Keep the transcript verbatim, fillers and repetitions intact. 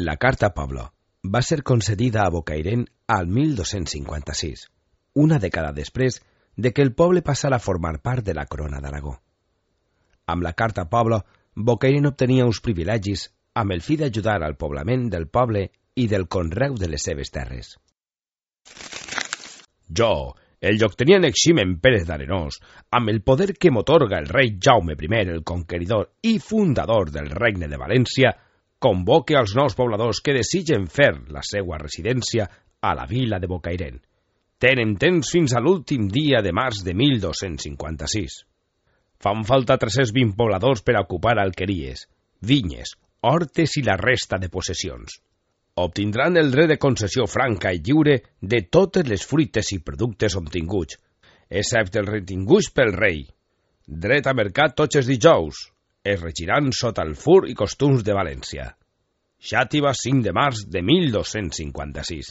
La Carta Pablo va ser concedida a Bocairent al mil dos-cents cinquanta-sis, una dècada després de que el poble passara a formar part de la corona d'Aragó. Amb la Carta Pablo, Bocairent obtenia uns privilegis amb el fi d'ajudar al poblament del poble i del conreu de les seves terres. Jo, el lloctenent Eximen Pérez d'Arenós, amb el poder que m'atorga el rei Jaume primer, el conqueridor i fundador del regne de València, convoque als nous pobladors que desitgen fer la seva residència a la vila de Bocairent. Tenen temps fins a l'últim dia de març de mil dos-cents cinquanta-sis. Fan falta tres-cents vint pobladors per a ocupar alqueries, vinyes, hortes i la resta de possessions. Obtindran el dret de concessió franca i lliure de totes les fruites i productes obtinguts, excepte els retinguts pel rei. Dret a mercat tots els dijous. Es regiran sota el fur i costums de València. Xàtiva, cinc de març de mil dos-cents cinquanta-sis.